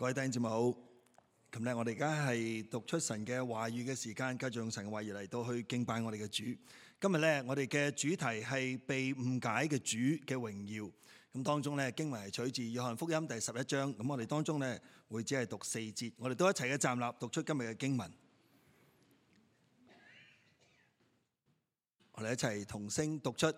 各位弟兄姊妹好，咁咧我哋而家係讀出神嘅話語嘅時間，繼續用神嘅話語嚟到去敬拜我哋嘅主。今日咧我哋嘅主題係被誤解嘅主嘅榮耀。咁當中咧經文係取自約翰福音第11章。咁我哋當中咧會只係讀4節，我哋都一齊嘅站立讀出今日嘅經文。我哋一齊同聲讀出。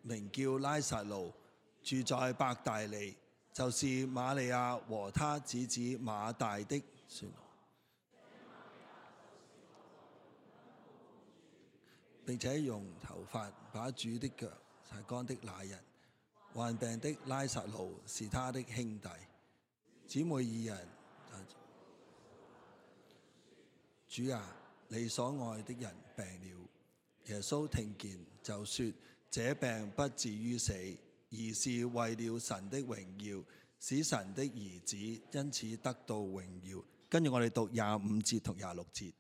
名叫拉撒路，住在伯大尼，就是瑪利亞和他姊姊馬大的孫，並且用頭髮把主的腳擦乾的那人，患病的拉撒路是他的兄弟，姊妹二人。主啊，你所愛的人病了。耶穌聽見就說：這病不至於死，而是為了神的榮耀，使神的兒子因此得到榮耀。跟住我哋讀25節同26節。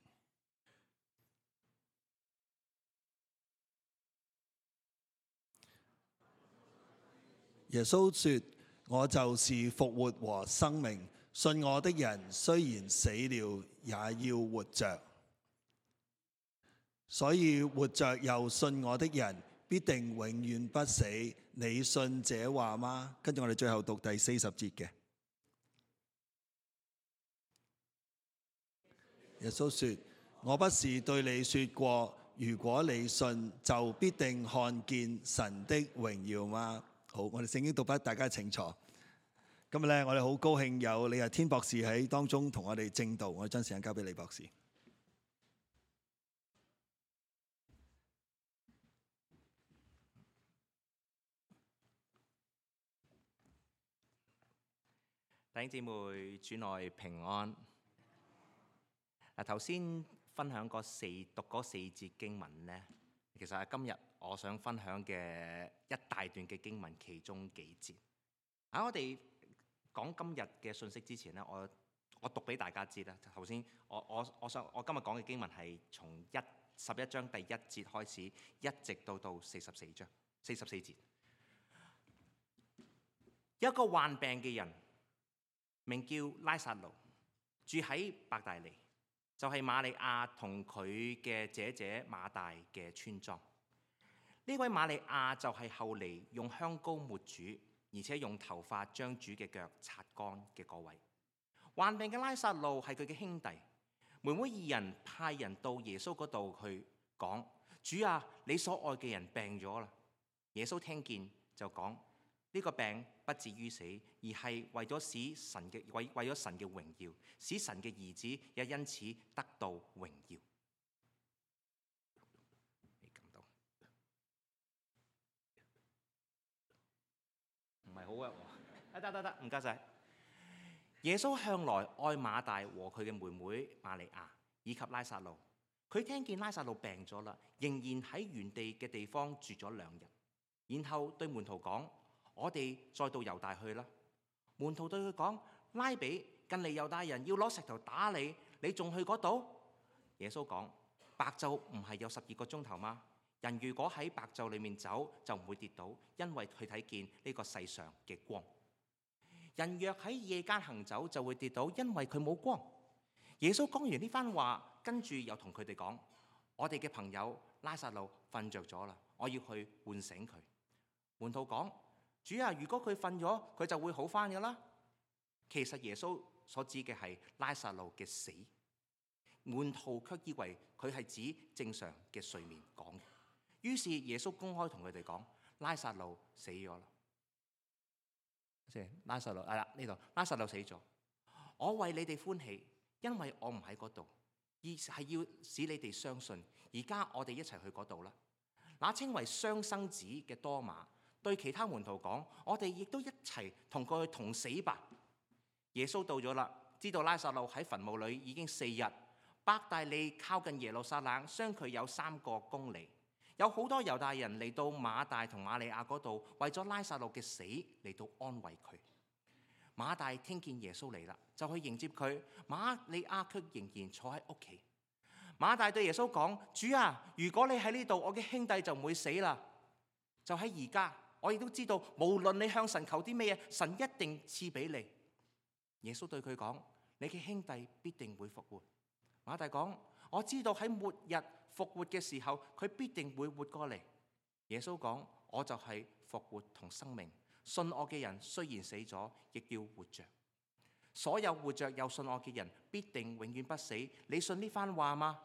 耶穌說：我就是復活和生命，信我的人雖然死了，也要活着。所以活着又信我的人，必定永遠不死。你信這話嗎？跟住我哋最後讀第40節嘅。耶穌說：我不是對你說過，如果你信，就必定看見神的榮耀嗎？好，我哋聖經讀筆，大家請坐。今日咧，我哋好高興有李日天博士喺當中同我哋證道，我將時間交俾李博士。弟兄姊妹，主內平安。頭先分享讀嗰4節經文呢，其實係今日我想分享嘅一大段嘅經文其中幾節。喺我哋講今日嘅信息之前呢，我讀俾大家知啦。頭先我今日講嘅經文係從11章第1節開始，一直到44節。有一個患病嘅人，名叫拉撒路，住喺伯大尼，就係瑪利亞同佢嘅姐姐馬大嘅村莊。呢位瑪利亞就係後嚟用香膏抹主，而且用頭髮將主嘅腳擦乾嘅嗰位。患病嘅拉撒路係佢嘅兄弟，妹妹二人派人到耶穌嗰度去講：主啊，你所愛嘅人病咗啦。耶穌聽見就講：呢個病不至於死，而係為咗神嘅榮耀，使神嘅兒子也因此得到榮耀。你感到唔係好啊？得，唔該晒。耶穌向來愛馬大和佢嘅妹妹瑪利亞以及拉撒路。佢聽見拉撒路病咗啦，仍然喺原地嘅地方住咗2日，然後對門徒講：我哋再到猶大去啦。門徒對佢講：拉比，近嚟猶大人要攞石頭打你，你仲去嗰度？耶穌講：白晝唔係有12個鐘頭嗎？人如果喺白晝裏面走，就唔會跌倒，因為佢睇見呢個世上嘅光。人若喺夜間行走，就會跌倒，因為佢冇光。耶穌講完呢番話，跟住又同佢哋講：我哋嘅朋友拉撒路瞓着咗啦，我要去喚醒佢。門徒講：主啊，如果佢瞓咗，佢就會好返㗎啦。其實耶穌所指嘅係拉撒路嘅死，門徒卻以為佢係指正常嘅睡眠講。於是耶穌公開同佢哋講：拉撒路死咗啦。拉撒路係啦，呢度拉撒路死咗。我為你哋歡喜，因為我唔喺嗰度，而係要使你哋相信。而家我哋一齊去嗰度啦。那稱為雙生子嘅多馬對其他門徒講：我哋亦都一齊同佢去同死吧。耶穌到咗啦，知道拉撒路喺墳墓裏已經4日。伯大尼靠近耶路撒冷，相距有3個公里。有好多猶大人嚟到馬大同瑪利亞嗰度，為咗拉撒路嘅死嚟到安慰佢。馬大聽見耶穌嚟啦，就去迎接佢。瑪利亞卻仍然坐喺屋企。馬大對耶穌講：主啊，如果你喺呢度，我嘅兄弟就唔會死啦。就喺而家，我亦都知道，無論你向神求啲咩嘢，神一定賜俾你。耶穌對佢講：你嘅兄弟必定會復活。馬大講：我知道喺末日復活嘅時候，佢必定會活過嚟。耶穌講：我就係復活同生命，信我嘅人雖然死咗，亦要活着。所有活着又信我嘅人，必定永遠不死。你信呢番話嗎？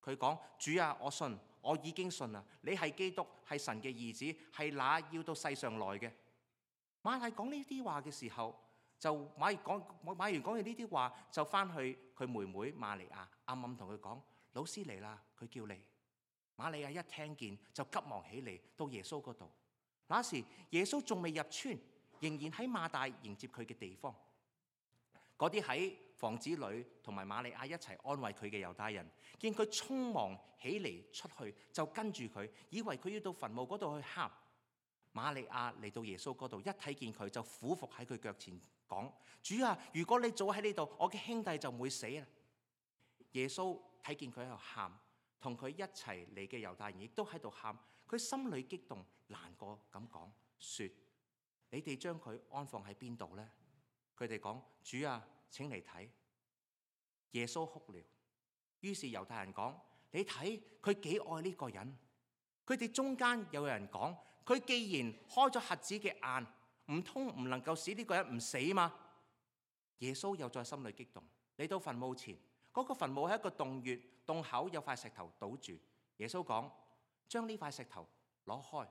佢講：主啊，我信，我已經信啦。你係基督，係神嘅兒子，係那要到世上來嘅。馬太講呢啲話嘅時候，就馬完講完呢啲話，就翻去佢妹妹瑪利亞，暗暗同佢講：老師嚟啦，佢叫你。瑪利亞一聽見就急忙起嚟到耶穌嗰度。那時耶穌仲未入村，仍然喺馬大迎接佢嘅地方。嗰啲喺房子裏同埋瑪利亞一齊安慰佢嘅猶太人，見佢匆忙起嚟出去，就跟住佢，以為佢要到墳墓嗰度去喊。瑪利亞嚟到耶穌嗰度，一睇見佢就俯伏喺佢腳前講：主啊，如果你早喺呢度，我嘅兄弟就唔會死啦。耶穌睇見佢喺度喊，同佢一齊嚟嘅猶太人亦都喺度喊，佢心裏激動難過咁講：說，你哋將佢安放喺邊度呢？佢哋講：主啊，請嚟睇。耶穌哭了。於是猶太人講：你睇佢幾愛呢個人。佢哋中間有人講：佢既然開咗瞎子嘅眼，唔通唔能夠使呢個人唔死嗎？耶穌又在心裏激動，嚟到墳墓前，嗰個墳墓係一個洞穴，洞口有塊石頭堵住。耶穌講：將呢塊石頭攞開。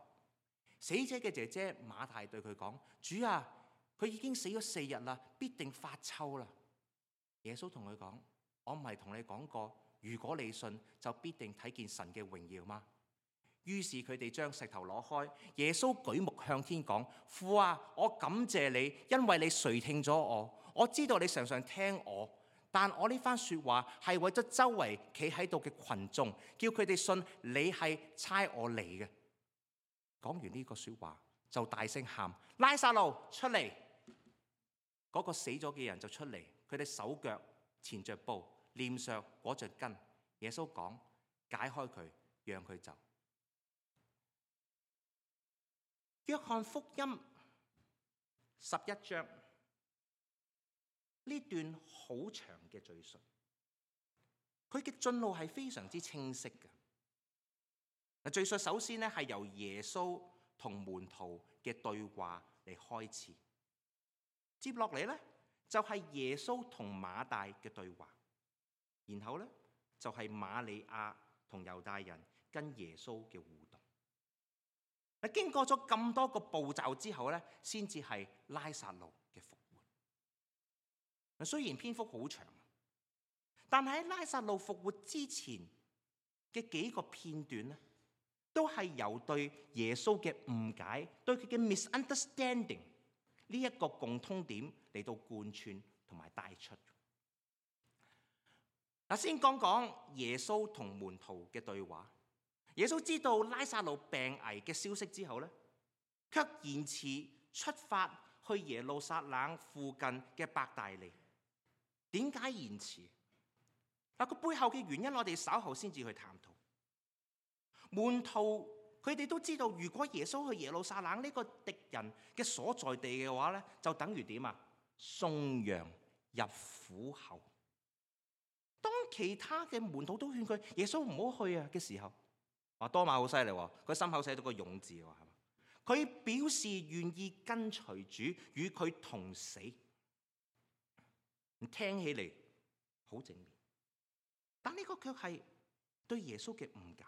死者嘅姐姐馬太對佢講：主啊，佢已經死咗4日啦，必定發臭啦。耶穌同佢講：我唔係同你講過，如果你信，就必定睇見神嘅榮耀嗎？於是佢哋將石頭攞開。耶穌舉目向天講：父啊，我感謝你，因為你垂聽咗我。我知道你常常聽我，但我呢番說話係為咗周圍企喺度嘅群眾，叫佢哋信你係差我嚟嘅。講完呢個說話，就大聲喊：拉撒路出嚟！嗰個死咗嘅人就出嚟，佢哋手腳纏着布，臉上裹着巾。耶穌講：解開佢，讓佢走。約翰福音11章呢段好長嘅敘述，佢嘅進路係非常之清晰嘅。敘述首先咧係由耶穌同門徒嘅對話嚟開始，接落嚟咧就係耶穌同馬大嘅對話，然後咧就係瑪利亞同猶大人跟耶穌嘅互動。經過咗咁多個步驟之後咧，先至係拉撒路嘅復活。雖然篇幅好長，但係喺拉撒路復活之前嘅幾個片段咧，都係由對耶穌嘅誤解、對佢嘅 misunderstanding 呢一個共通點嚟到貫穿同埋帶出。先講講耶穌同門徒嘅對話。耶穌知道拉撒路病危嘅消息之後咧，卻延遲出發去耶路撒冷附近嘅伯大尼。點解延遲？個背後嘅原因，我哋稍後先至去探討。門徒佢哋都知道，如果耶穌去耶路撒冷呢個敵人嘅所在地嘅話咧，就等於點啊？送羊入虎口。當其他嘅門徒都勸佢耶穌唔好去啊嘅時候，多馬好犀利喎，佢心口寫到個勇字喎，係嘛？佢表示願意跟隨主，與佢同死。聽起嚟好正面，但呢個卻係對耶穌嘅誤解。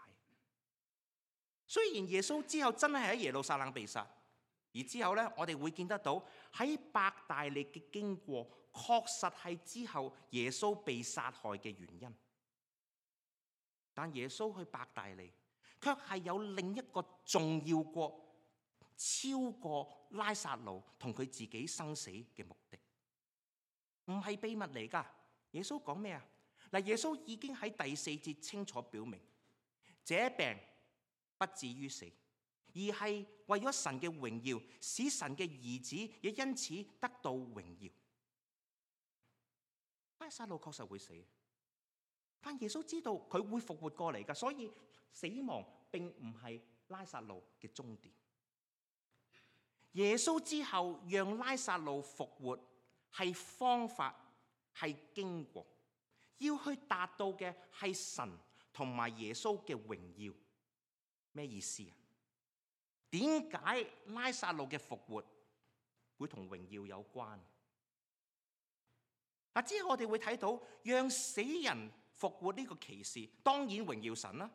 雖然耶穌之後真係喺耶路撒冷被殺，而之後咧，我哋會見得到喺伯大尼嘅經過，確實係之後耶穌被殺害嘅原因。但耶穌去伯大尼，卻係有另一個重要過、超過拉撒路同佢自己生死嘅目的，唔係秘密嚟㗎。耶穌講咩啊？耶穌已經喺第4節清楚表明，這病不至於死，而係為咗神嘅榮耀，使神嘅兒子也因此得到榮耀。拉撒路確實會死，但耶穌知道佢會復活過嚟㗎，所以死亡並唔係拉撒路嘅終點。耶穌之後讓拉撒路復活係方法，係經過，要去達到嘅係神同埋耶穌嘅榮耀。咩意思啊？點解拉撒路嘅復活會同榮耀有關？之後我哋會睇到讓死人復活呢個奇事，當然榮耀神啦，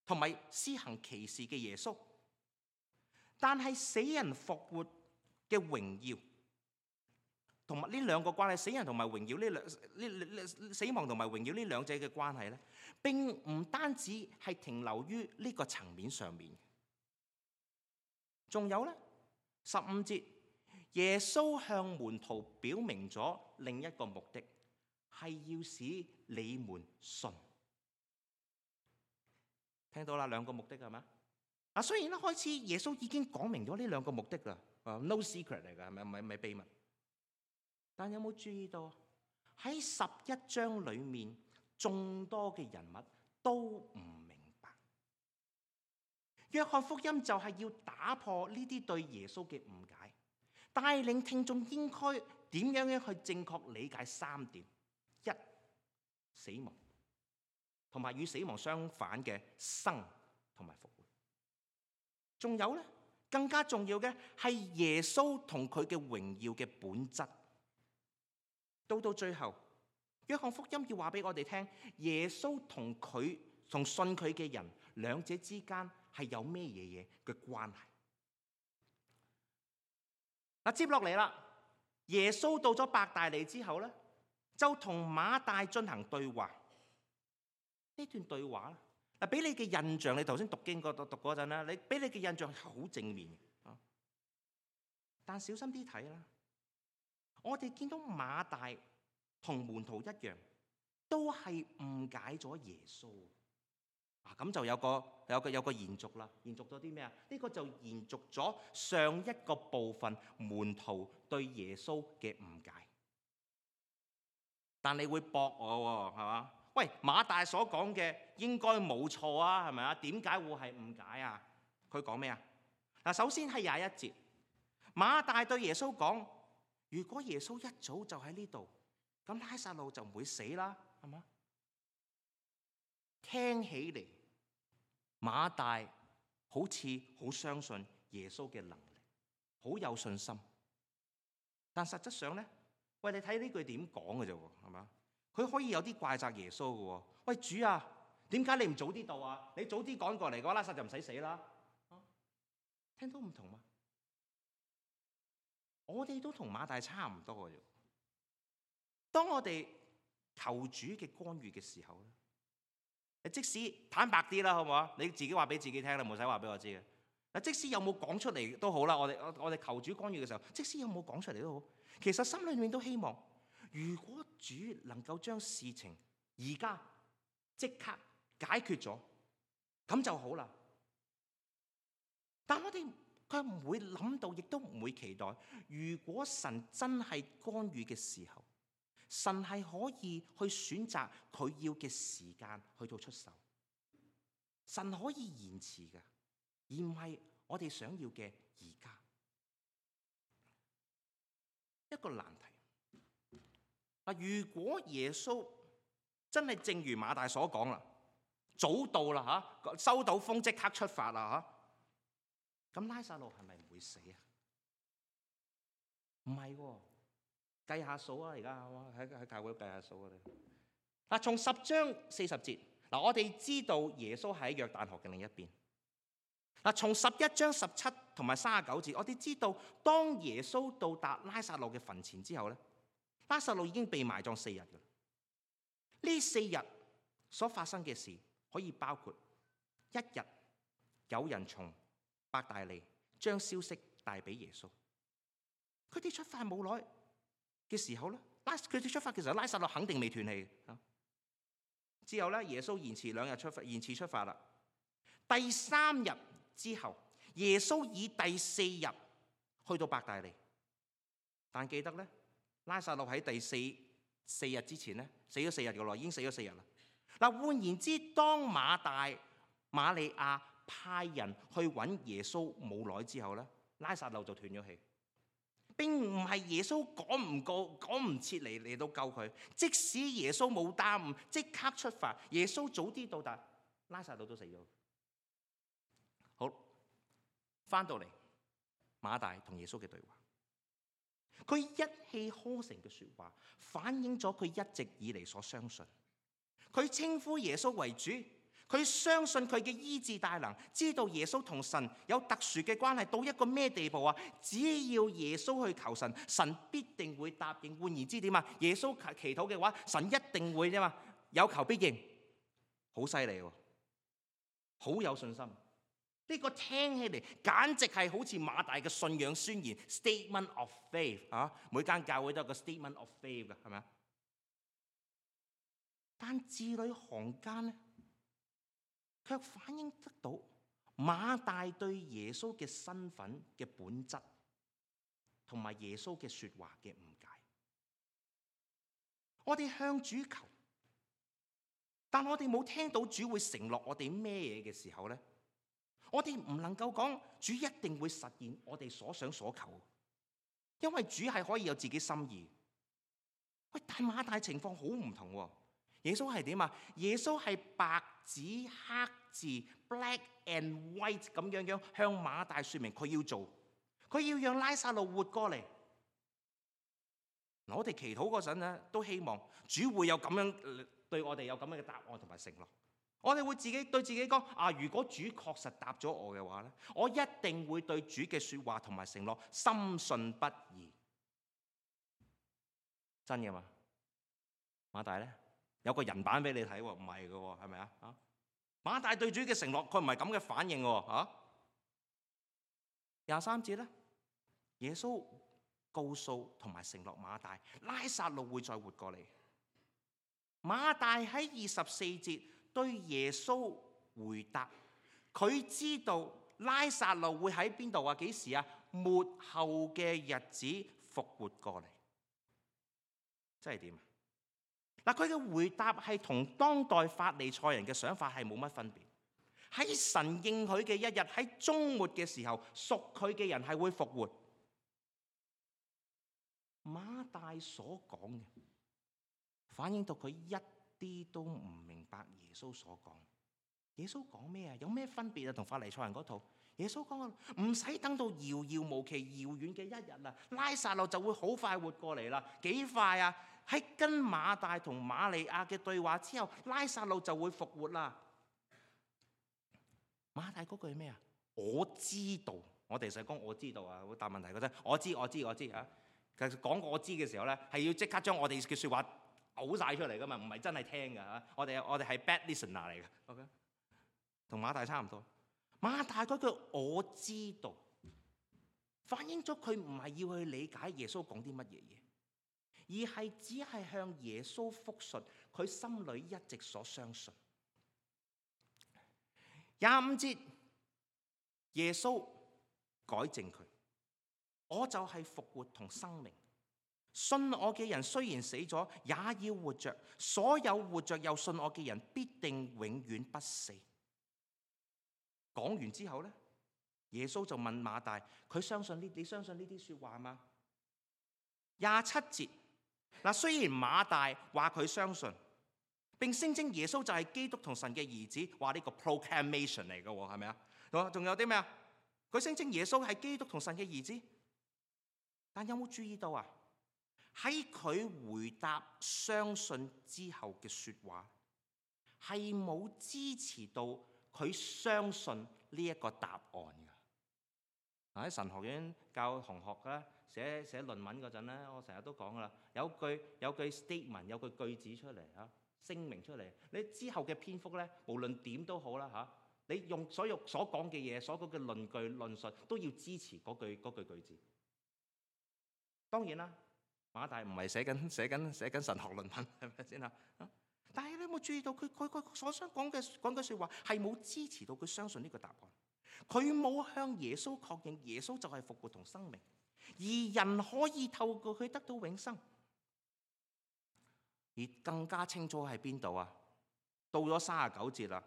同埋施行奇事嘅耶穌。但係死人復活嘅榮耀，同埋呢兩個關係，死人同埋榮耀死亡同埋榮耀呢兩者嘅關係咧，並唔單止係停留於呢個層面上面。仲有咧，15節，耶穌向門徒表明咗另一個目的，係要使你們信。聽到啦，兩個目的係咪？雖然一開始耶穌已經講明咗呢兩個目的啦，no secret 嚟㗎，係咪？唔係秘密。但有冇注意到喺11章裡面，眾多嘅人物都唔明白。約翰福音就係要打破呢啲對耶穌嘅誤解，帶領聽眾應該點樣去正確理解3點：一、死亡，同埋與死亡相反嘅生同埋復活。仲有咧，更加重要嘅係耶穌同佢嘅榮耀嘅本質。到最後，約翰福音要話俾我哋聽，耶穌同信佢嘅人兩者之間係有咩嘢嘅關係？接落嚟啦，耶穌到咗伯大尼之後咧，就同馬大進行對話。呢段對話咧，俾你嘅印象，你頭先讀經讀嗰陣咧，俾你嘅印象係好正面嘅。但小心啲睇啦。我哋見到馬大同門徒一樣，都係誤解咗耶穌。咁就有個延續啦。延續咗啲咩啊？呢個就延續咗上一個部分門徒對耶穌嘅誤解。但你會駁我喎，係嘛？喂，馬大所講嘅應該冇錯啊，係咪啊？點解會係誤解啊？佢講咩啊？首先係21節，馬大對耶穌講：如果耶穌一早就喺呢度，咁拉撒路就唔會死啦，係嘛？聽起嚟，馬大好似好相信耶穌嘅能力，好有信心。但實質上咧，喂，你睇呢句點講嘅啫，係嘛？佢可以有啲怪責耶穌嘅喎。喂，主啊，點解你唔早啲到啊？你早啲趕過嚟嘅話，拉撒就唔使死啦。聽到唔同嗎？我哋都同馬大差唔多嘅啫。當我哋求主嘅干預嘅時候咧，即使坦白啲啦，好唔好啊？你自己話俾自己聽啦，冇使話俾我知嘅。嗱，即使有冇講出嚟都好啦，我哋求主干預嘅時候，即使有冇講出嚟都好，其實心裏面都希望，如果主能夠將事情而家即刻解決咗，咁就好啦。但我哋佢唔會諗到，亦都唔會期待，如果神真係干預嘅時候，神係可以去選擇佢要嘅時間去到出手。神可以延遲嘅，而唔係我哋想要嘅而家。一個難題。如果耶穌真係正如馬大所講啦，早到啦嚇，收到風即刻出發啦嚇，咁拉撒路係咪唔會死啊？唔係喎，計下數啊！而家喺教會計下數啊！嗱，從10章40節，嗱，我哋知道耶穌喺約旦河嘅另一邊。嗱，從11章17同埋39節，我哋知道當耶穌到達拉撒路嘅墳前之後咧，拉撒路已經被埋葬4日㗎啦。呢4日所發生嘅事可以包括1日有人從伯大尼將消息帶俾耶穌。佢哋出發冇耐嘅時候咧，佢哋出發嘅時候，拉撒路肯定未斷氣。之後咧，耶穌延遲出發啦。第3日之後，耶穌以第4日去到伯大尼。但記得咧，拉撒路喺第4日之前咧死咗4日嘅咯，已經死咗4日啦。嗱，換言之，當馬利亞派人去揾耶穌冇耐之後咧，拉撒路就斷咗氣。並唔係耶穌趕唔切嚟到救佢，即使耶穌冇耽誤，即刻出發，耶穌早啲到達，拉撒路都死咗。好，翻到嚟馬大同耶穌嘅對話，佢一氣呵成嘅說話，反映咗佢一直以嚟所相信。佢稱呼耶穌為主，佢相信佢嘅醫治大能，知道耶穌同神有特殊嘅關係到一個咩地步啊？只要耶穌去求神，神必定會答應。換言之點啊？耶穌祈禱嘅話，神一定會啫嘛，有求必應，好犀利喎，好有信心。呢個聽起嚟簡直係好似馬大嘅信仰宣言 （Statement of Faith） 啊！每間教會都有個 Statement of Faith 嘅，係咪啊？但字裏行間咧，卻反映得到馬大對耶穌嘅身份嘅本質，同埋耶穌嘅說話嘅誤解。我哋向主求，但我哋冇聽到主會承諾我哋咩嘢嘅時候咧，我哋唔能夠講主一定會實現我哋所想所求，因為主係可以有自己心意。喂，但馬大情況好唔同喎。耶穌係點啊？耶穌係白紙黑字 black and white 咁樣向馬大說明佢要做，佢要讓拉撒路活過嚟。我哋祈禱嗰陣咧，都希望主會有咁樣對我哋有咁樣嘅答案同埋承諾。我哋會自己對自己講啊，如果主確實答咗我嘅話咧，我一定會對主嘅說話同埋承諾深信不疑。真嘅嘛？馬大咧？有個人版俾你睇喎，唔係嘅喎，係咪啊？馬大對主嘅承諾，佢唔係咁嘅反應喎。23節咧，耶穌告訴同埋承諾馬大，拉撒路會再活過嚟。馬大喺24節對耶穌回答，佢知道拉撒路會喺邊度啊？幾時啊？末後嘅日子復活過嚟。即係點啊？嗱，佢嘅回答係同當代法利賽人嘅想法係冇乜分別。喺神應許嘅一日，喺終末嘅時候，屬佢嘅人係會復活。馬大所講嘅，反映到佢一啲都唔明白耶穌所講。耶穌講咩啊？有咩分別啊？同法利賽人嗰套？耶穌講唔使等到遙遙無期、遙遠嘅一日啦，拉撒路就會好快活過嚟啦。幾快啊？喺跟馬大同瑪利亞嘅對話之後，拉撒路就會復活啦。馬大嗰句係咩啊？我知道，我哋成日講我知道啊，會答問題嗰陣，我知啊。其實講我知嘅時候咧，係要即刻將我哋嘅説話嘔晒出嚟噶嘛，唔係真係聽㗎嚇。我哋係 bad listener 嚟嘅。OK， 同馬大差唔多。馬大嗰句我知道，反映咗佢唔係要去理解耶穌講啲乜嘢嘢，而係只係向耶穌復述佢心裏一直所相信。25節，耶穌改正佢，我就係復活同生命，信我嘅人雖然死咗，也要活着；所有活着又信我嘅人，必定永遠不死。講完之後咧，耶穌就問馬大，佢相信你相信呢啲說話嗎？27節，嗱，雖然馬大話佢相信，並聲稱耶穌就係基督同神嘅兒子，話呢個 proclamation 嚟嘅，係咪啊？仲有啲咩啊？佢聲稱耶穌係基督同神嘅兒子，但有冇注意到啊？喺佢回答相信之後嘅說話，係冇支持到佢相信呢一個答案㗎。喺神學院教同學咧寫論文嗰陣咧，我成日都講噶啦，有句 statement， 有句句子出嚟嚇，聲明出嚟，你之後嘅篇幅咧，無論點都好啦嚇，你用所講嘅嘢，所講嘅論據論述都要支持嗰句句子。當然啦，馬大唔係寫緊神學論文，係咪先啊？但係你有冇注意到佢所想講嘅説話係冇支持到佢相信呢個答案？佢冇向耶穌確認耶穌就係復活同生命，而人可以透過佢得到永生。而更加清楚喺邊度啊？到咗39節啦，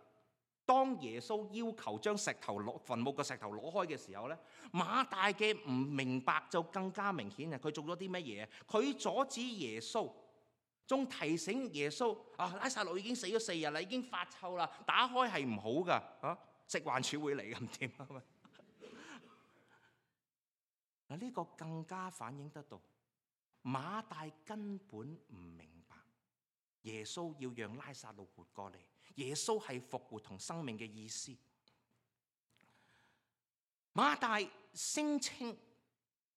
當耶穌要求將墳墓嘅石頭攞開嘅時候咧，馬大嘅唔明白就更加明顯啊！佢做咗啲乜嘢？佢阻止耶穌，仲提醒耶穌拉撒路已經死咗4日啦，已經發臭啦，打開係唔好噶食環署會嚟咁點啊？嗱，呢個更加反映得到馬大根本唔明白耶穌要讓拉撒路活過嚟，耶穌係復活同生命嘅意思。馬大聲稱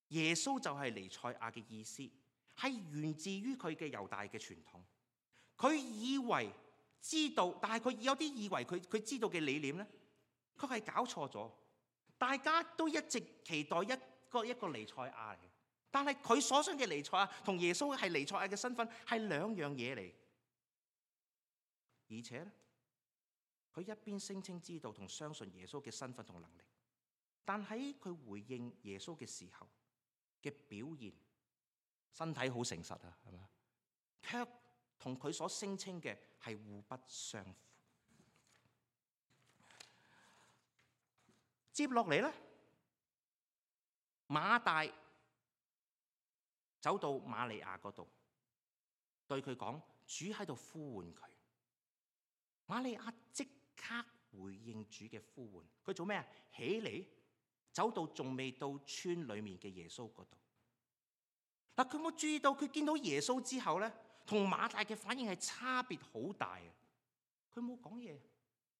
耶穌就係彌賽亞嘅意思，係源自於佢嘅猶大嘅傳統。佢以為知道，但係佢有啲以為佢知道嘅理念咧，佢係搞錯咗。大家都一直期待一個彌賽亞嚟，但係佢所信嘅彌賽亞同耶穌係彌賽亞嘅身份係兩樣嘢嚟。而且咧，佢一邊聲稱知道同相信耶穌嘅身份同能力，但喺佢回應耶穌嘅時候嘅表現，身體好誠實啊，係咪？卻同佢所聲稱嘅係互不相符。接落嚟咧，馬大走到瑪利亞嗰度，對佢講：主喺度呼喚佢。瑪利亞即刻回應主嘅呼喚，佢做咩啊？起嚟，走到仲未到村裏面嘅耶穌嗰度。嗱，佢冇注意到，佢見到耶穌之後咧，同馬大嘅反應係差別好大啊！佢冇講嘢，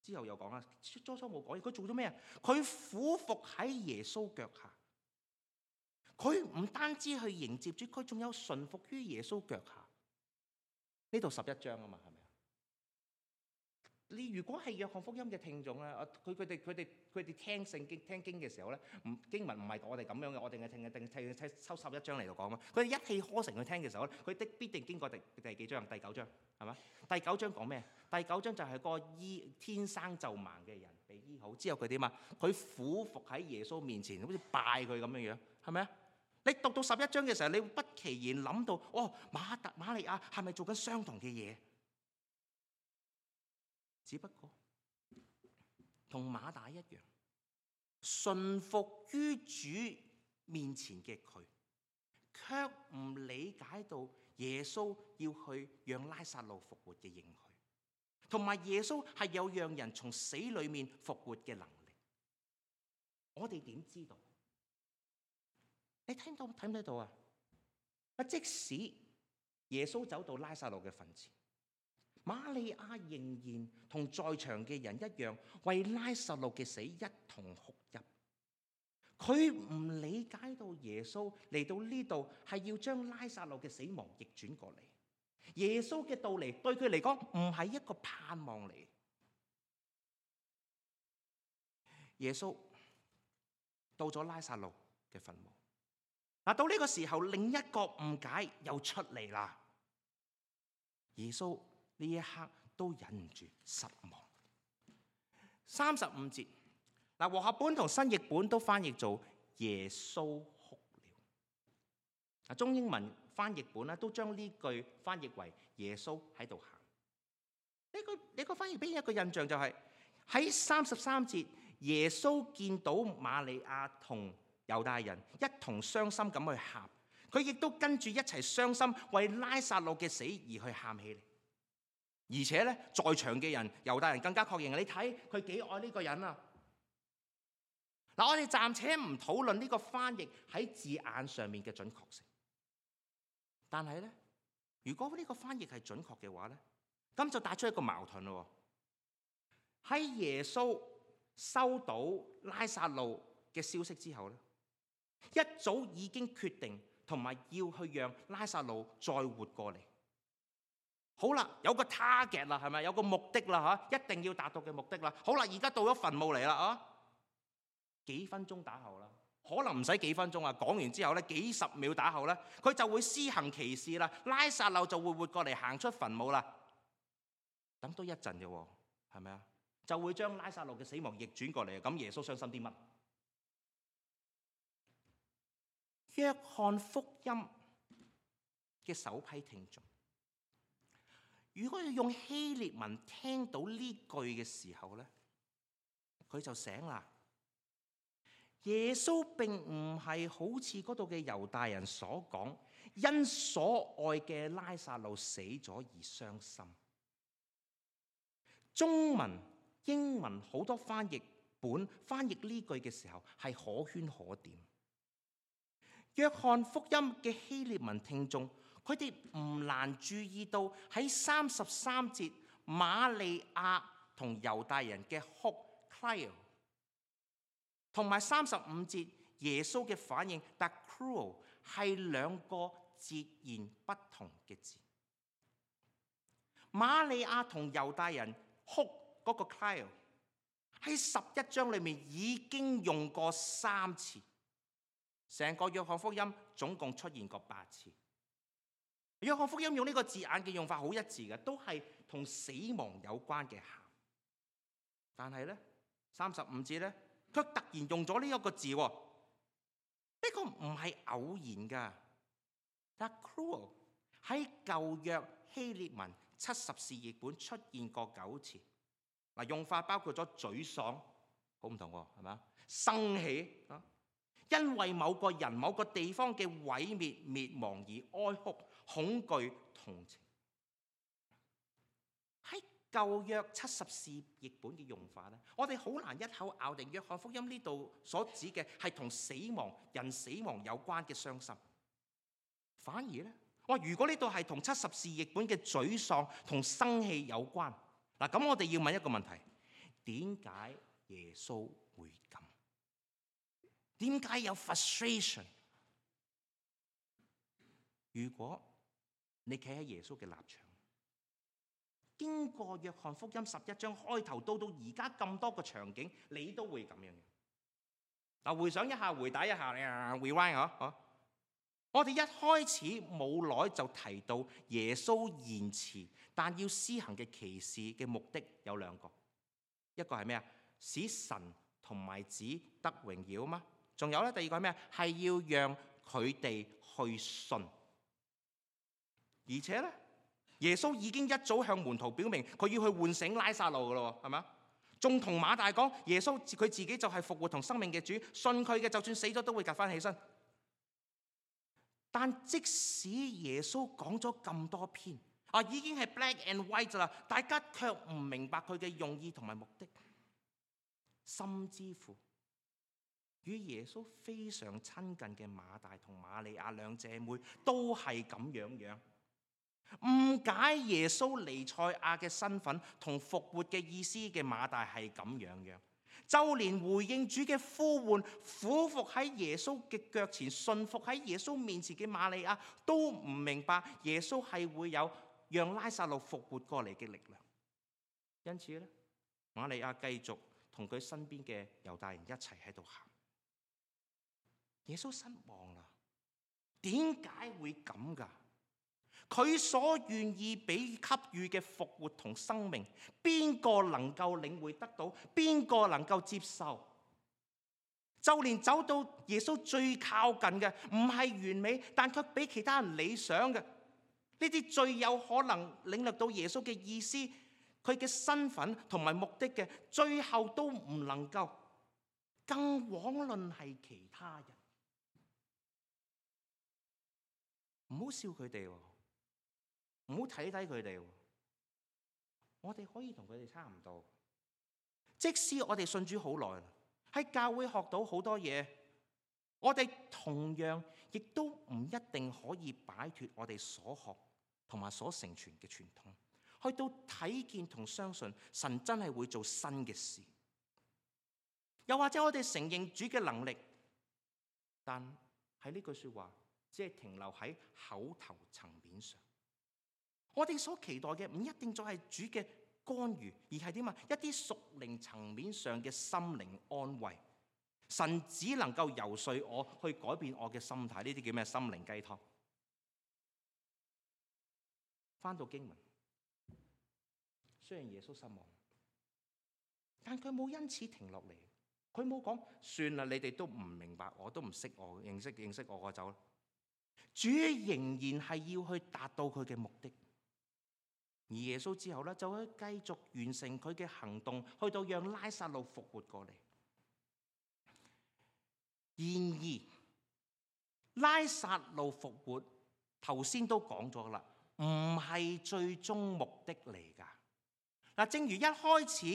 之後又講啦，初冇講嘢，佢做咗咩啊？佢俯伏喺耶穌腳下，佢唔單止去迎接主，佢仲有順服於耶穌腳下。呢度11章啊嘛，係咪？你如果係約翰福音嘅聽眾咧，佢哋聽聖經聽經嘅時候咧，經文唔係我哋咁樣嘅，我哋係聽抽11章嚟度講嘛。佢哋一氣呵成去聽嘅時候咧，佢必定經過第幾章？第9章係嘛？第9章講咩？第9章就係個天生就盲嘅人被醫好之後，佢點啊？佢俯伏喺耶穌面前，好似拜佢咁樣樣，係咪啊？你讀到11章嘅時候，你會不其然諗到，瑪利亞係咪做緊相同嘅嘢？只不過同馬大一樣，順服於主面前嘅佢，卻唔理解到耶穌要去讓拉撒路復活嘅應許，同埋耶穌係有讓人從死裏面復活嘅能力。我哋點知道？你睇唔睇到啊？即使耶穌走到拉撒路嘅墳前，瑪利亞仍然同在場嘅人一樣，為拉撒路嘅死一同哭泣。佢唔理解到耶穌嚟到呢度係要將拉撒路嘅死亡逆轉過嚟。耶穌嘅到嚟對佢嚟講唔係一個盼望嚟。耶穌到咗拉撒路嘅墳墓，到呢個時候，另一個誤解又出嚟啦。耶穌呢一刻都忍唔住失望。35節，和合本同新譯本都翻譯做耶穌哭了。中英文翻譯本咧都將呢句翻譯為耶穌喺度喊。呢個翻譯俾人一個印象就係喺33節，耶穌見到瑪利亞同猶大人一同傷心咁去喊，佢亦都跟住一齊傷心，為拉撒路嘅死而去喊起嚟。而且咧，在場嘅人猶大人更加確認，你睇佢幾愛呢個人啊！嗱，我哋暫且唔討論呢個翻譯喺字眼上面嘅準確性，但係咧，如果呢個翻譯係準確嘅話咧，咁就帶出一個矛盾咯。喺耶穌收到拉撒路嘅消息之後咧，一早已經決定同埋要去讓拉撒路再活過嚟。好啦，有個 target 啦，係咪？有個目的啦，一定要達到嘅目的啦。好啦，而家到咗墳墓嚟啦，幾分鐘打後啦，可能唔使幾分鐘啊。講完之後咧，幾十秒打後咧，佢就會施行奇事啦。拉撒路就會活過嚟，行出墳墓啦。等多一陣啫，係咪啊？就會將拉撒路嘅死亡逆轉過嚟。咁耶穌傷心啲乜？約翰福音嘅首批聽眾，如果要用希臘文聽到呢句嘅時候咧，佢就醒啦。耶穌並唔係好似嗰度嘅猶大人所講，因所愛嘅拉撒路死咗而傷心。中文、英文好多翻譯本翻譯呢句嘅時候係可圈可點。約翰福音嘅希臘文聽眾，佢哋唔難注意到喺33節瑪利亞同猶大人嘅哭 cry， 同埋35節耶穌嘅反應 the cruel 係兩個截然不同嘅字。瑪利亞同猶大人哭嗰個 cry 喺11章裏面已經用過3次，成個約翰福音總共出現過8次。約翰福音用呢個字眼嘅用法好一致嘅，都係同死亡有關嘅喊。但係咧35節咧，卻突然用咗呢一個字喎，呢個唔係偶然㗎。但 cruel 喺舊約希臘文70士譯本出現過9次。嗱，用法包括咗沮喪，好唔同喎，係咪？生氣啊，因為某個人、某個地方嘅毀滅、滅亡而哀哭、恐懼、同情。喺舊約70士譯本嘅用法咧，我哋好難一口咬定約翰福音呢度所指嘅係同死亡、人死亡有關嘅傷心。反而咧，如果呢度係同70士譯本嘅沮喪同生氣有關。嗱，咁我哋要問一個問題：點解耶穌會咁？點解有 frustration？ 如果你企喺耶穌嘅立場，經過約翰福音11章開頭到而家咁多個場景，你都會咁樣嘅。嗱，回想一下，回帶一下，rewind 嗬。我哋一開始冇耐就提到耶穌延遲但要施行嘅奇事嘅目的有2個，一個係咩啊？使神同埋子得榮耀啊嘛。仲有咧，第2個係咩啊？係要讓佢哋去信。而且咧，耶穌已經一早向門徒表明佢要去喚醒拉撒路噶咯，係咪？仲同馬大講，耶穌佢自己就係復活同生命嘅主，信佢嘅就算死咗都會趌翻起身。但即使耶穌講咗咁多篇，已經係 black and white 啦，大家卻唔明白佢嘅用意同埋目的，甚至乎與耶穌非常親近嘅馬大同瑪利亞兩姐妹都係咁樣誤解耶穌彌賽亞嘅身份同復活嘅意思嘅馬大係咁樣。就連回應主嘅呼喚，俯伏喺耶穌嘅腳前，順服喺耶穌面前嘅瑪利亞，都唔明白耶穌係會有讓拉撒路復活過嚟嘅力量。因此咧，瑪利亞繼續同佢身邊嘅猶大人一齊喺度喊。耶穌失望啦，點解會咁㗎？佢所願意俾予嘅復活同生命，邊個能夠領會得到？邊個能夠接受？就連走到耶穌最靠近嘅，唔係完美，但卻比其他人理想嘅，呢啲最有可能領略到耶穌嘅意思、佢嘅身份同埋目的嘅，最後都唔能夠，更枉論係其他人。唔好笑佢哋，唔好睇低佢哋，我哋可以同佢哋差唔多。即使我哋信主好耐啦，喺教會學到好多嘢，我哋同樣亦都唔一定可以擺脫我哋所學同埋所承傳嘅傳統，去到睇見同相信神真係會做新嘅事。又或者我哋承認主嘅能力，但喺呢句說話只係停留喺口頭層面上。我哋所期待嘅唔一定再係主嘅干預，而係點啊？一啲屬靈層面上嘅心靈安慰。神只能夠游說我去改變我嘅心態，呢啲叫咩？心靈雞湯。翻到經文，雖然耶穌失望，但佢冇因此停落嚟。佢冇講算啦，你哋都唔明白，我都唔識我，認識我走啦。主仍然係要去達到佢嘅目的。而耶穌之後咧，就會繼續完成佢嘅行動，去到讓拉撒路復活過嚟。然而，拉撒路復活頭先都講咗啦，唔係最終目的嚟㗎。嗱，正如一開始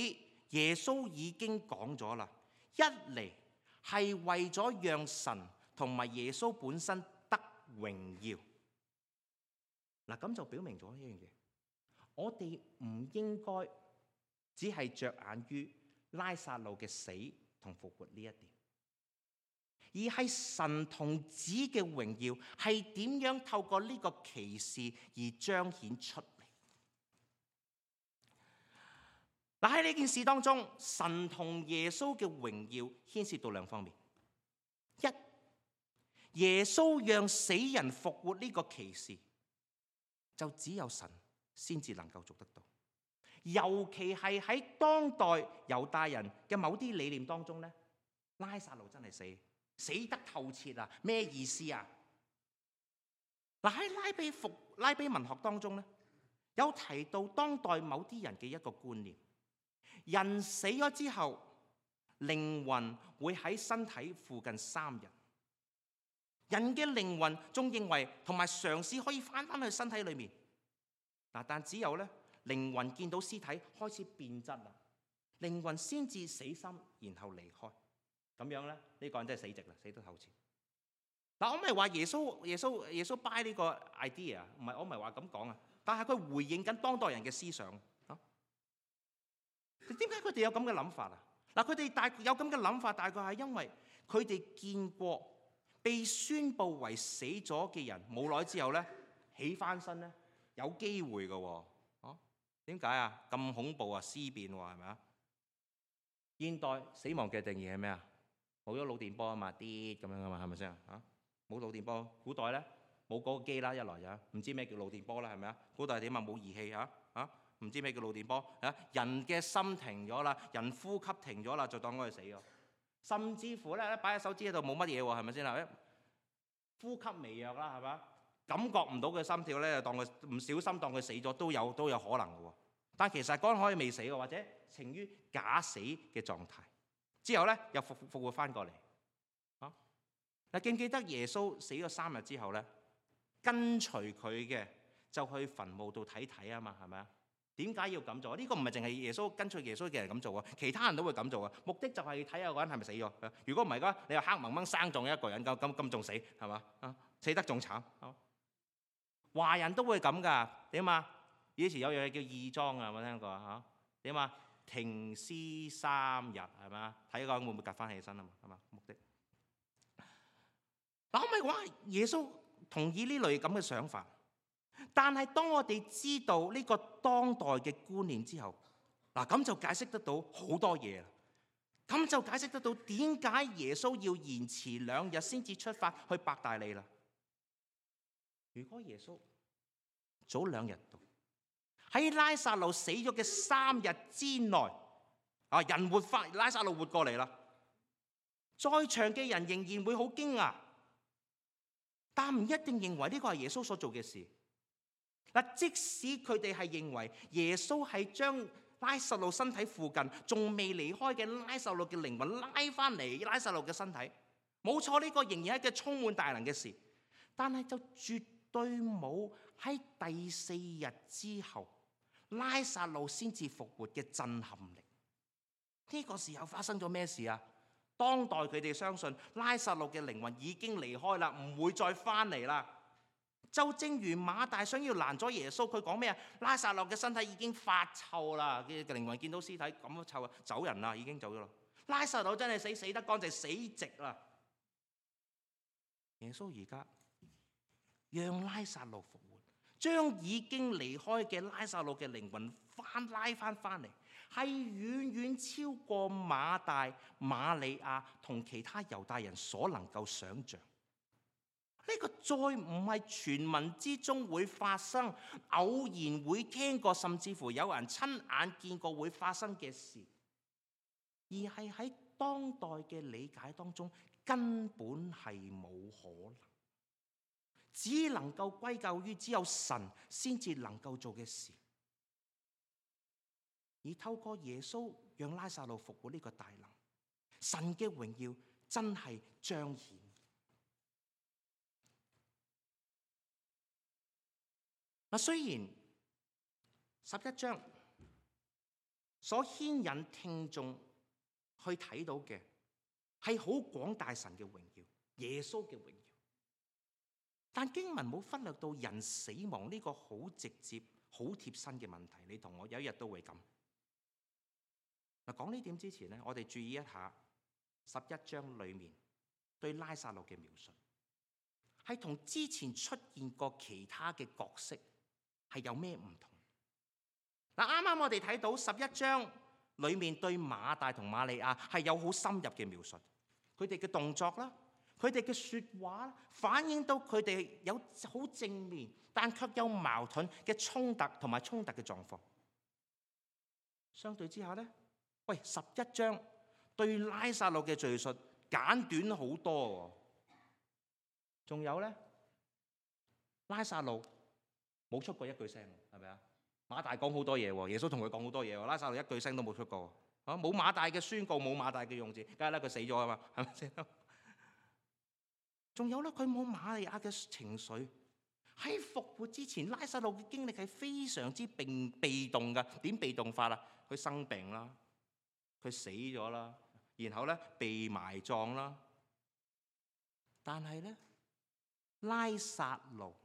耶穌已經講咗啦，一嚟係為咗讓神同埋耶穌本身得榮耀。嗱，咁就表明咗一樣嘢，我哋唔應該只係着眼於拉撒路嘅死同復活呢一點，而係神同子嘅榮耀係點樣透過呢個奇事而彰顯出嚟。嗱，喺呢件事當中，神同耶穌嘅榮耀牽涉到兩方面。一，耶穌讓死人復活呢個奇事，就只有神先至能夠做得到。尤其係喺當代猶大人嘅某啲理念當中咧，拉撒路真係死得透徹啊！咩意思啊？嗱，喺拉比文學當中咧，有提到當代某啲人嘅一個觀念。人死咗之後，靈魂會喺身體附近3日。人嘅靈魂仲認為同埋嘗試可以翻去身體裏面。嗱，但只有咧靈魂見到屍體開始變質啦，靈魂先至死心，然後離開。咁樣咧，呢個人真係死直啦，死得透徹。嗱，我唔係話耶穌 buy 呢個 idea， 我唔係話咁講啊。但係佢回應緊當代人嘅思想。點解佢哋有咁嘅諗法啊？嗱，佢哋有咁嘅諗法，大概係因為佢哋見過被宣佈為死咗嘅人，冇耐之後咧起翻身咧，有機會嘅喎。點解啊？咁恐怖啊！屍變喎，係咪啊？現代死亡嘅定義係咩啊？冇咗腦電波啊嘛，啲咁樣啊嘛，係咪先啊？冇腦電波，古代咧冇嗰個機啦，一來就唔知咩叫腦電波啦，係咪啊？古代點啊？冇儀器唔知咩叫腦電波啊？人嘅心停咗啦，人呼吸停咗啦，就當佢死咗。甚至乎咧擺喺手指喺度冇乜嘢喎，係咪先啊？呼吸微弱啦，係咪？感覺唔到佢心跳咧，就當佢唔小心當佢死咗都有可能嘅喎。但其實嗰可以未死嘅，或者呈於假死嘅狀態。之後咧又復活翻過嚟。嗱，記唔記得耶穌死咗3日之後咧，跟隨佢嘅就去墳墓度睇啊嘛，係咪啊？點解要咁做？呢個唔係淨係跟隨耶穌嘅人咁做啊，其他人都會咁做啊。目的就係睇下個人係咪死咗。如果唔係嘅話，你又黑掹掹生撞一個人，咁仲死係嘛？死得仲慘。華人都會咁㗎。點啊？以前有樣嘢叫義莊啊，有冇聽過啊？點啊？停屍3日係嘛？睇個人會唔會趌翻起身啊嘛？係嘛？目的。嗱，我咪話耶穌同意呢類咁嘅想法。但係當我哋知道呢個當代嘅觀念之後，嗱，咁就解釋得到好多嘢啦。咁就解釋得到點解耶穌要延遲2日先至出發去伯大尼啦。如果耶穌早2日到，喺拉撒路死咗嘅3日之內，人活翻，拉撒路活過嚟啦，在場嘅人仍然會好驚訝，但唔一定認為呢個係耶穌所做嘅事。嗱，即使佢哋係認為耶穌係將拉撒路身體附近仲未離開嘅拉撒路嘅靈魂拉翻嚟拉撒路嘅身體，冇錯，呢個仍然係一個充滿大能嘅事，但係就絕對冇喺第4日之後拉撒路先至復活嘅震撼力。呢個時候發生咗咩事啊？當代佢哋相信拉撒路嘅靈魂已經離開啦，唔會再翻嚟啦。就正如馬大想要攔咗耶穌，佢講咩啊？拉撒路嘅身體已經發臭啦，嘅靈魂見到屍體咁臭啊，走人啦，已經走咗啦。拉撒路真係死得乾淨，死直啦。耶穌而家讓拉撒路復活，將已經離開嘅拉撒路嘅靈魂拉翻嚟，係遠遠超過馬大、馬利亞同其他猶大人所能夠想像。呢個再唔係傳聞之中會發生，偶然會聽過，甚至乎有人親眼見過會發生嘅事，而係喺當代嘅理解當中根本係冇可能，只能夠歸咎於只有神先至能夠做嘅事。而透過耶穌讓拉撒路復活呢個大能，神嘅榮耀真係彰顯。雖然11章所牽引聽眾去睇到嘅係好廣大神嘅榮耀，耶穌嘅榮耀，但經文冇忽略到人死亡呢個好直接、好貼身嘅問題。你同我有一日都會咁。講呢點之前呢，我哋注意一下11章裏面對拉撒路嘅描述，係同之前出現過其他嘅角色係有咩唔同？啱啱我哋睇到11章裏面對馬大同瑪利亞係有好深入嘅描述，佢哋嘅動作啦，佢哋嘅說話反映到佢哋有好正面但卻有矛盾嘅衝突同埋衝突嘅狀況。相對之下呢，11章對拉撒路嘅敘述簡短好多，仲有呢，拉撒路冇出過一句聲，係咪啊？馬大講好多嘢，耶穌同佢講好多嘢，拉撒路一句聲都冇出過，冇馬大嘅宣告，冇馬大嘅用字，梗係啦，佢死咗啊嘛，係咪先？仲有咧，佢冇瑪利亞嘅情緒。喺復活之前，拉撒路嘅經歷係非常之被動噶。點被動法啊？佢生病啦，佢死咗啦，然後咧被埋葬啦。但係咧，拉撒路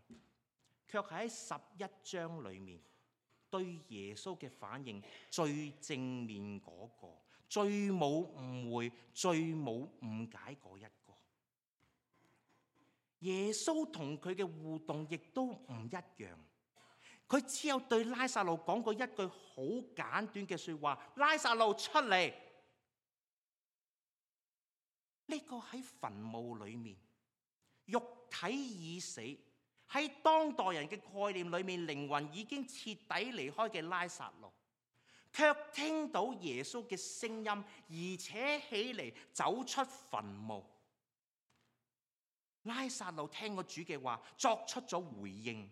卻喺11章裏面對耶穌嘅反應最正面嗰個，最冇誤會、最冇誤解嗰一個。耶穌同佢嘅互動亦都唔一樣，佢只有對拉撒路講過一句好簡短嘅說話：拉撒路出嚟。呢個喺墳墓裏面，肉體已死，喺當代人嘅概念裏面，靈魂已經徹底離開嘅拉撒路，卻聽到耶穌嘅聲音，而且起嚟走出墳墓。拉撒路聽過主嘅話，作出咗回應。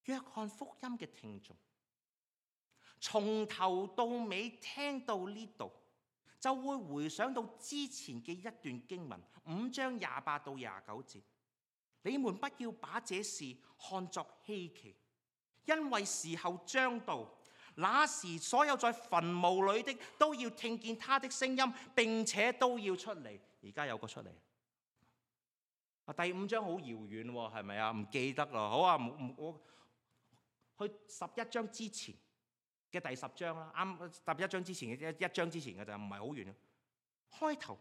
約翰福音嘅聽眾，從頭到尾聽到呢度，就會回想到之前嘅一段經文，5章28到29節。你們不要把這事看作稀奇，因為時候將到，那時所有在墳墓裏的都要聽見他的聲音，並且都要出嚟。而家有個出嚟。第5章好遙遠喎，係咪啊？唔記得咯。好啊，我去11章之前嘅第10章啦，啱11章之前嘅一章之前嘅就唔係好遠。開頭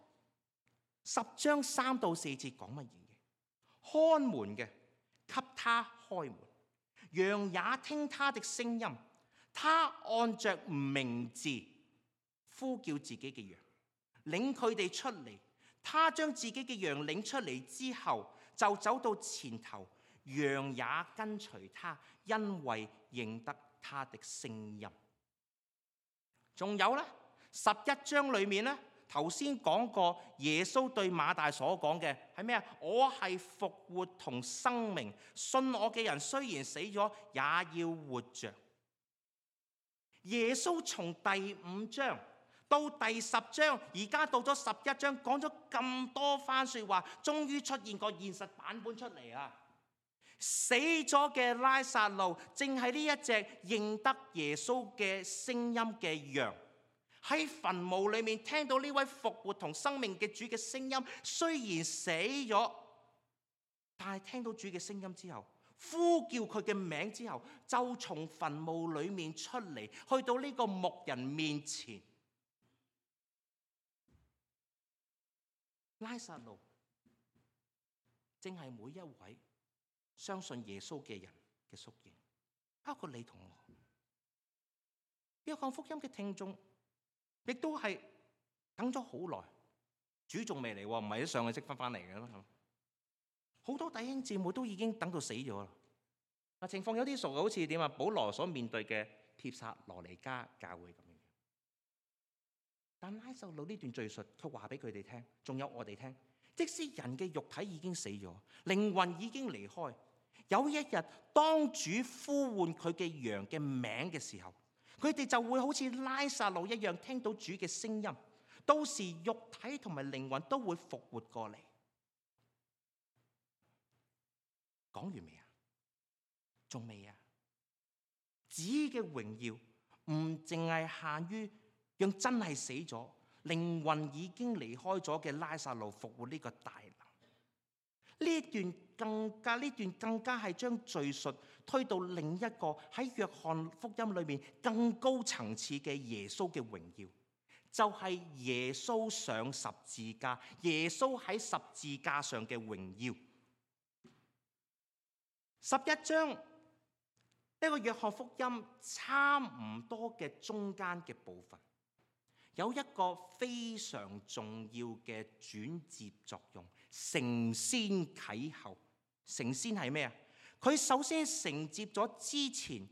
10章3到4節講乜嘢？看門嘅給他開門，羊也聽他的聲音，他按着名字呼叫自己嘅羊，領佢哋出嚟。他將自己嘅羊領出嚟之後，就走到前頭，羊也跟隨他，因為認得他的聲音。仲有呢，11章裏面呢，頭先講過耶穌對馬大所講嘅係咩啊？我係復活同生命，信我嘅人雖然死咗，也要活着。耶穌從第5章到第10章，而家到咗11章，講咗咁多番說話，終於出現個現實版本出嚟啊！死咗嘅拉撒路，正係呢一隻認得耶穌嘅聲音嘅羊，喺墳墓裏面聽到呢位復活同生命嘅主嘅聲音，雖然死咗，但係聽到主嘅聲音之後，呼叫佢嘅名之後，就從墳墓裏面出嚟，去到呢個牧人面前。拉撒路正係每一位相信耶穌嘅人嘅縮影，包括你同我。約翰福音嘅聽眾亦都係等咗好耐，主仲未嚟，唔係一上去即翻嚟嘅啦。好多弟兄姊妹都已經等到死咗啦。情況有啲熟，好似點啊？保羅所面對嘅帖撒羅尼迦教會咁樣。但拉撒路呢段敘述，佢話俾佢哋聽，仲有我哋聽。即使人嘅肉體已經死咗，靈魂已經離開，有一日，當主呼喚佢嘅羊嘅名嘅時候，佢哋就會好似拉撒路一樣聽到主嘅聲音。到時肉體同埋靈魂都會復活過嚟。講完未啊？仲未啊？子嘅榮耀唔淨係限於讓真係死咗、靈魂已經離開咗嘅拉撒路復活呢個大能。呢段更加係將敘述推到另一個喺約翰福音裏面更高層次嘅耶穌嘅榮耀，就係耶穌上十字架，耶穌喺十字架上嘅榮耀。11章呢個約翰福音差唔多嘅中間嘅部分，有一個非常重要嘅轉接作用。承先啟後，承先係咩啊？佢首先承接咗之前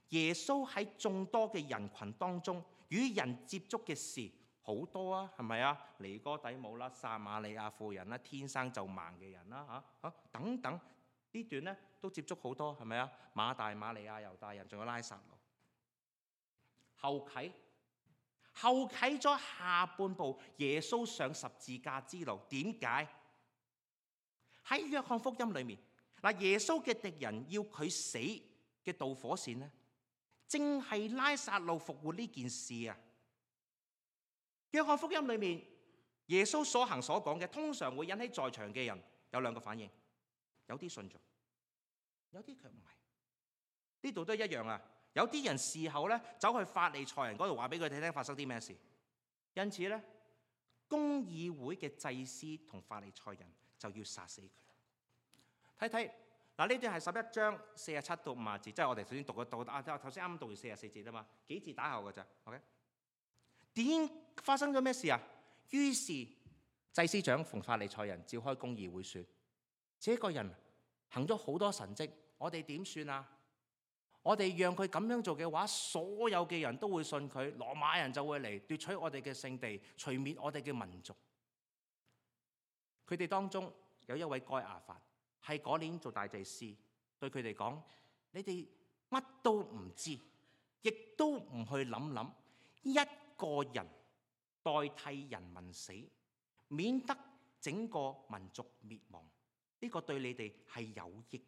耶穌喺眾多嘅人群當中與人接觸嘅事好多啊，係咪啊？尼哥底母啦、撒瑪利亞婦人啦、天生就盲嘅人啦，等等呢段咧都接觸好多，係咪啊？馬大、馬利亞、猶大人，仲有拉撒路。後啟咗下半部耶穌上十字架之路。點解？喺約翰福音裏面，耶穌嘅敵人要佢死嘅導火線呢，正係拉撒路復活呢件事啊！約翰福音裏面，耶穌所行所講嘅，通常會引起在場嘅人有兩個反應，有啲信咗，有啲卻唔係。呢度都一樣啊！有啲人事後咧走去法利賽人嗰度話俾佢哋聽發生啲咩事，因此咧公議會嘅祭司同法利賽人就要殺死佢。睇睇嗱，呢段係11章47到50節，即係我哋首先讀頭先啱啱讀完44節啊嘛，幾字打後嘅咋 ？OK？ 點發生咗咩事啊？於是祭司長同法利賽人召開公議會說：這個人行咗好多神蹟，我哋點算啊？我哋讓佢咁樣做嘅話，所有嘅人都會信佢，羅馬人就會嚟奪取我哋嘅聖地，除滅我哋嘅民族。佢哋當中有一位該亞法，係嗰年做大祭司，對佢哋講：你哋乜都唔知，亦都唔去諗，一個人代替人民死，免得整個民族滅亡。呢個對你哋係有益。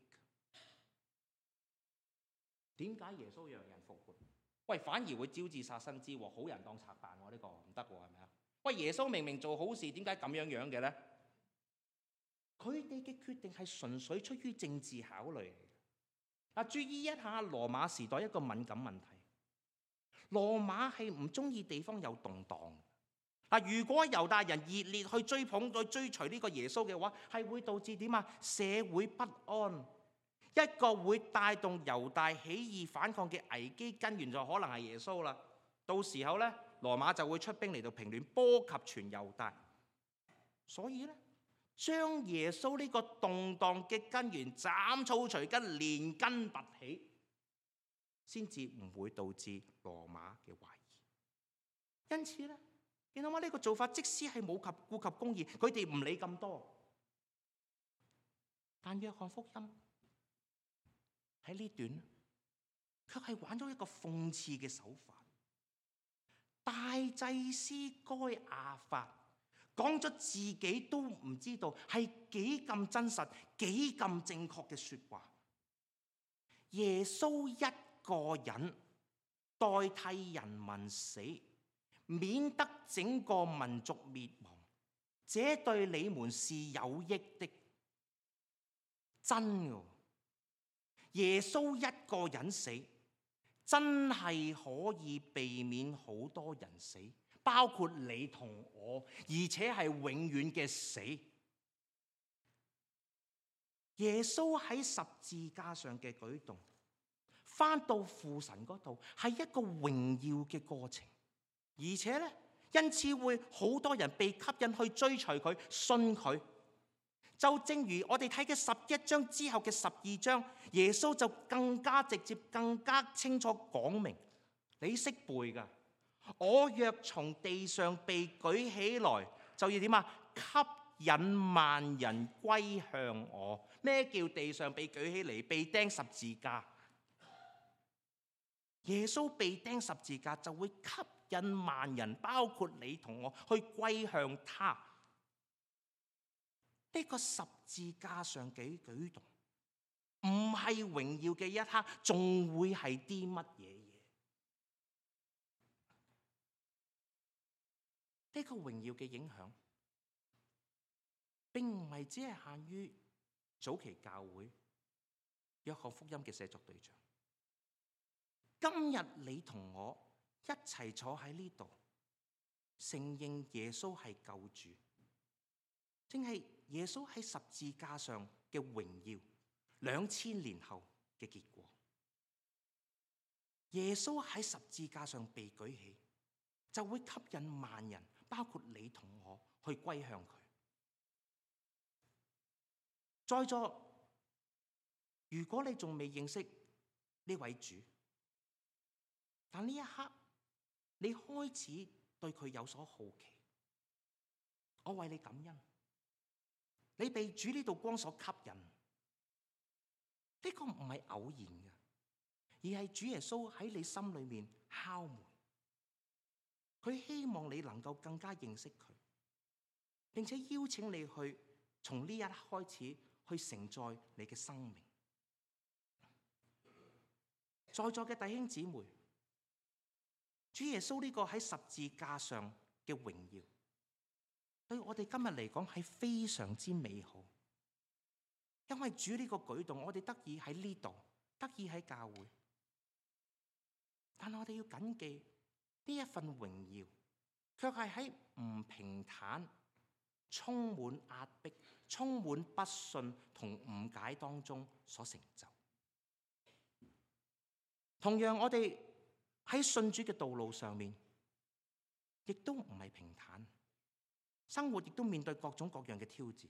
點解耶穌讓人復活？喂，反而會招致殺身之禍，好人當賊辦喎？呢個唔得喎，係咪啊？喂，耶穌明明做好事，點解咁樣嘅咧？佢哋嘅決定係純粹出於政治考慮。注意一下羅馬時代一個敏感問題，羅馬係唔中意地方有動盪。如果猶大人熱烈去追捧、去追隨呢個耶穌嘅話，係會導致點啊？社會不安。一個會帶動猶大起義反抗嘅危機根源就可能係耶穌啦。到時候咧，羅馬就會出兵嚟到平亂，波及全猶大。所以咧，將耶穌呢個動盪嘅根源斬草除根，連根拔起，先至唔會導致羅馬嘅懷疑。因此咧，見到嗎？呢個做法即使係冇顧及公義，佢哋唔理咁多。但約翰福音喺呢段卻係玩咗一個諷刺嘅手法。大祭司該亞法講咗自己都唔知道係幾咁真實、幾咁正確嘅說話。耶穌一個人代替人民死，免得整個民族滅亡，這對你們是有益的。真嘅。耶穌一個人死，真係可以避免好多人死，包括你同我，而且係永遠嘅死。耶穌喺十字架上嘅舉動，返到父神嗰度，係一個榮耀嘅過程，而且咧，因此會好多人被吸引去追隨佢、信佢。就正如我哋睇嘅11章之後嘅12章，耶穌就更加直接、更加清楚講明，你識背噶。我若從地上被舉起來，就要點啊？給引萬人歸向我。咩叫地上被舉起嚟，被釘十字架？耶穌被釘十字架就會吸引萬人，包括你同我去歸向他。呢個十字架上嘅舉動，唔係榮耀嘅一刻，仲會係啲乜嘢嘢？呢個榮耀嘅影響，並唔係只係限於早期教會約翰福音嘅寫作對象。今日你同我一齊坐喺呢度，承認耶穌係救主，正係耶穌喺十字架上嘅榮耀，2000年後嘅結果。耶穌喺十字架上被舉起，就會吸引萬人，包括你同我去歸向佢。在座，如果你仲未認識呢位主，但呢一刻你開始對佢有所好奇，我為你感恩。你被主呢道光所吸引，呢個唔係偶然嘅，而係主耶穌喺你心裏面敲門。佢希望你能夠更加認識佢，並且邀請你去從呢一刻開始去承載你嘅生命。在座嘅弟兄姊妹，主耶穌呢個喺十字架上嘅榮耀，對我哋今日嚟講係非常之美好。因為主呢個舉動，我哋得以喺呢度，得以喺教會。但我哋要謹記呢一份榮耀，卻係喺唔平坦、充滿壓迫、充滿不信同誤解當中所成就。同樣，我哋喺信主嘅道路上面，亦都唔係平坦，生活亦都面對各種各樣嘅挑戰。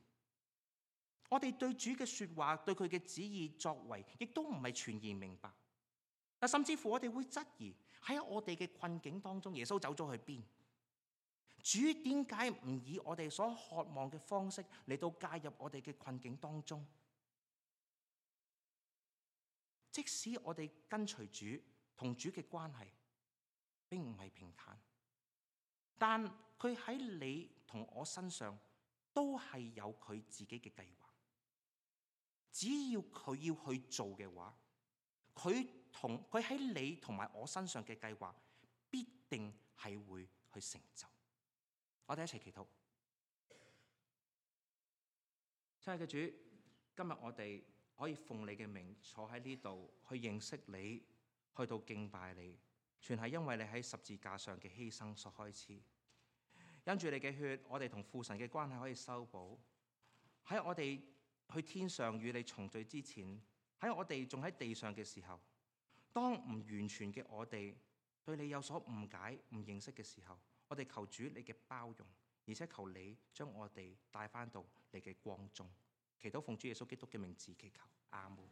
我哋對主嘅說話，對佢嘅旨意作為，亦都唔係全然明白。甚至乎我哋會質疑喺我哋嘅困境當中，耶穌走咗去邊？主點解唔以我哋所渴望嘅方式嚟到介入我哋嘅困境當中？即使我哋跟隨主同主嘅關係並唔係平坦，但佢喺你同我身上都係有佢自己嘅計劃。只要佢要去做嘅話，佢喺你同埋我身上嘅計劃必定係會去成就。我哋一齊祈禱。親愛嘅主，今日我哋可以奉你嘅名坐喺呢度去認識你，去到敬拜你，全係因為你喺十字架上嘅犧牲所開始。因住你嘅血，我哋同父神嘅關係可以修補。喺我哋去天上與你重聚之前，喺我哋仲喺地上嘅時候，當唔完全嘅我哋對你有所誤解、唔認識嘅時候，我哋求主你嘅包容，而且求你將我哋帶返到你嘅光中。祈禱奉主耶穌基督嘅名字祈求，阿門。